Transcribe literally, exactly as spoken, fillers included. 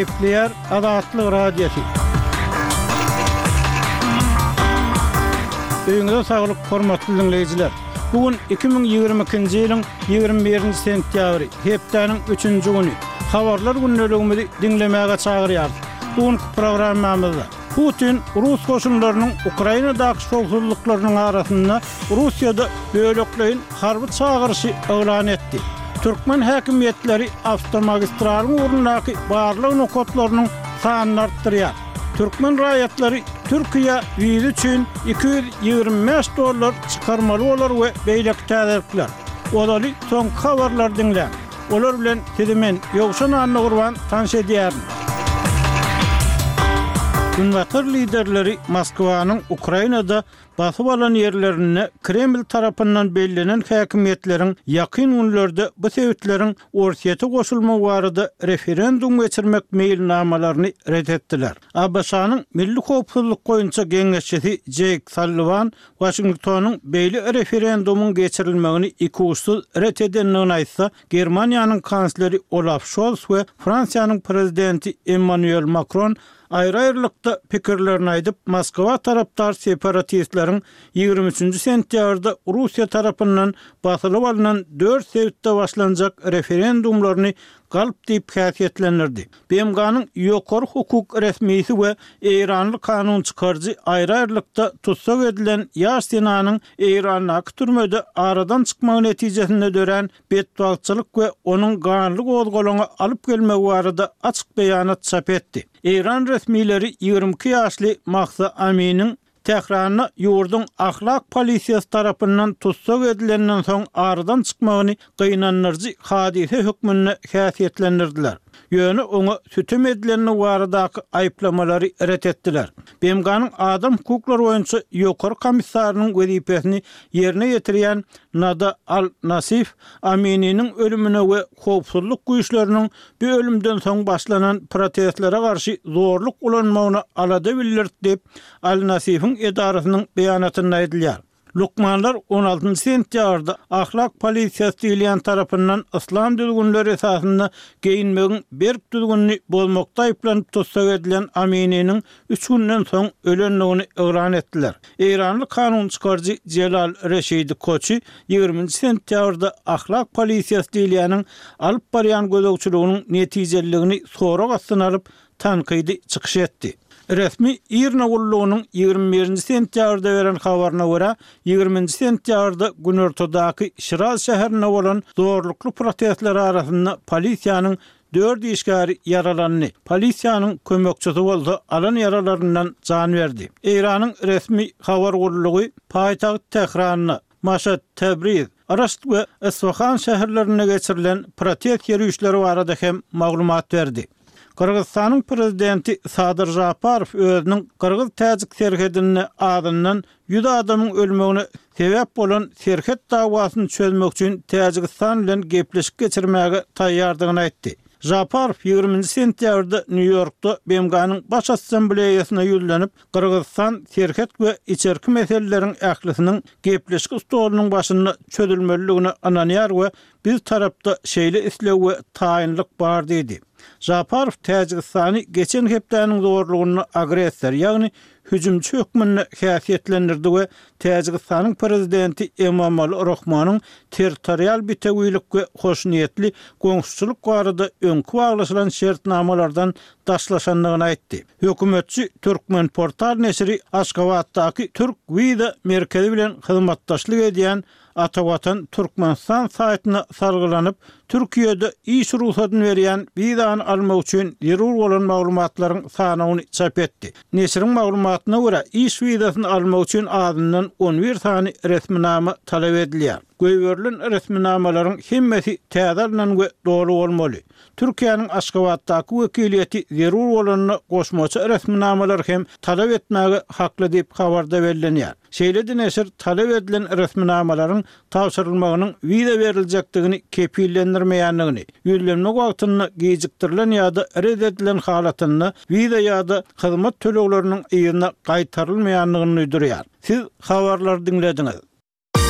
Gepleýär Azatlyk Radiosy. Öýüňize saglyk, hormatly diňleýjiler! Bu gün iki müň ýigrimi ikinji ýylyň ýigrimi birinji sentýabry, hepdäniň üçünji güni. Habarlar gündeligimizi diňlemäge çagyrýarys. Bu günki programmamyzda Putin rus goşunlarynyň Ukrainadaky şowsuzlyklarynyň arasynda Russiýada bölekleýin harby çagyryşy yglan etdi. Türkmen häkimiýetleri awtomagistralyň ugrundaky barlag nokatlarynyň sanyny artdyrýar. Türkmen raýatlary Türkiýä wiza üçin iki ýüz ýigrimi bäş dollar çykarmaly bolar we beýleki täzelikler. Ozaly soňky habarlary diňläň. Olar bilen sizi men, Ýowşan Annagurban tanyş edýärin. Günbatar liderleri Moskwanyň Ukrainada basyp alan ýerlerinde Kreml tarapyndan bellenen häkimiýetleriň ýakyn günlerde bu sebitleriň Orsýete goşulmagy barada referendum geçirmek meýilnamalaryny ret etdiler. ABŞ-nyň Milli howpsuzlyk boýunça geňeşçisi Jeýk Salliwan Waşingtonyň beýle referendumyň geçirilmegini ikuçsuz ret edendigini aýtsa, Germaniýanyň kansleri Olaf Şols we Fransiýanyň prezidenti Emmanuel Makron aýry-aýrylykda pikirlerini aýdyp, Moskwa tarapdar separatistleriň ýigrimi üçünji sentýabrda Russiýa tarapyndan basylyp alnan dört sebitde başlanjak referendumlaryny galp diýip häsiýetlendirdi. B M G-nyň ýokary hukuk resmisi we eýranly kanun çykaryjy aýry-aýrylykda tussag edilen ýaş zenanyň Eýrandaky türmede aradan çykmagy netijesinde dörän betbagtçylyk we onuň ganly gozgalaňa alyp gelmegi barada açyk beýanat çap etdi. Eýran resmileri ýigrimi iki ýaşly Mahsa Aminiň Tähranda ýurduň ahlak polisiýasy tarapyndan tussag edilenden soň aradan çykmagyny gynandyryjy hadysa hökmünde häsiýetlendirdiler. Ýöne oňa sütem edilendigi baradaky aýyplamalary ret etdiler. B M G-nyň adam hukuklary boýunça ýokary komissarynyň wezipesini ýerine ýetirýän Nada Al-Nasif Amininiň ölümine we howpsuzlyk güýçleriniň bu ölümden soň başlanan protestlere garşy zorluk ulanmagyna alada bildirdi diýip, Al-Nasifiň edarasynyň beýanatynda aýdylýar. Lukmanlar on altynjy sentýabrda ahlak polisiýasy diýilýän tarapyndan yslam düzgünleri esasynda geýinmegiň berk düzgünini bozmakda aýyplanyp tussag edilen Amininiň üç günden soň ölendigini yglan etdiler. Eýranly kanun çykaryjy Jelal Reşidi Koçi ýigriminji sentýabrda ahlak polisiýasy diýilýäniň alyp barýan gözegçiliginiň netijeliligini sorag astyna alyp, tankydy çykyş etdi. Resmi IRNA gullugynyň ýigrimi birinji sentýabrda beren habaryna görä, ýigriminji sentýabrda günortadaky Şiraz şäherinde bolan zorlukly protestler arasynda polisiýanyň dört işgäri ýaralandy, polisiýanyň kömekçisi bolsa alan ýaralaryndan jan berdi. Eýranyň resmi habar gullugy paýtagt Tähranda, Maşat, Täbriz, Raşt we Isfahan şäherlerinde geçirilen protest ýörişleri barada hem maglumat berdi. Gyrgyzystanyň prezidenti Sadyr Žaparow özüniň gyrgyz-täjik serhedinde azyndan ýüz adamyň ölmegine sebäp bolan serhet dawasyny çözmek üçin Täjigistan bilen gepleşik geçirmäge taýýardygyny aýtdy. Žaparow ýigriminji sentýabrda Nýu-Ýorkda B M G-nyň Baş Assambleýasyna ýüzlenip, Gyrgyzystan serhet we içerki meseleleriň ählisiniň gepleşik stolunyň başynda çözülmelidigine ynanýar we biz tarapda şeýle isleg we taýynlyk bar diýdi. Žaparow Täjigistany geçen hepdäniň zorlugynda agressor, ýagny hüjümçi hökmünde häsiýetlendirdi we Täjigistanyň prezidenti Emomali Rahmonyň territorial bitewilik we hoşniýetli goňşuçylyk barada öňki baglaşylan şertnamalardan daşlaşandygyny aýtdy. Hökümetçi Türkmenportal neşiri Aşgabatdaky Türk Wiza merkezi bilen hyzmatdaşlyk edýän Atavatan Türkmenistan saýtyna salgylanyp, Türkiýede iş rugsadyny berýän wizany almak üçin zerur bolan maglumatlaryň sanawyny çap etdi. Neşiriň maglumatyna görä, iş wizasyny almak üçin azyndan on bir sany resminama talap edilýär. Goýberilen resminamalaryň hemmesi täze alnan we doly bolmaly. Türkiýäniň Aşgabatdaky wekiliýeti zerur bolanda goşmaça resminamalar hem talap etmäge hakly diýip habarda bellenýär. Şeýle-de neşir talap edilen resminamalaryň tabşyrylmagynyň wiza beriljekdigini kepillendirmeýändigini, ýüzlenme wagtynda gijikdirilen ýa-da ret edilen halatynda wiza ýa-da hyzmat tölegleriniň yzyna gaýtarylmaýandygyny duýdurýar. Siz habarlary diňlediňiz.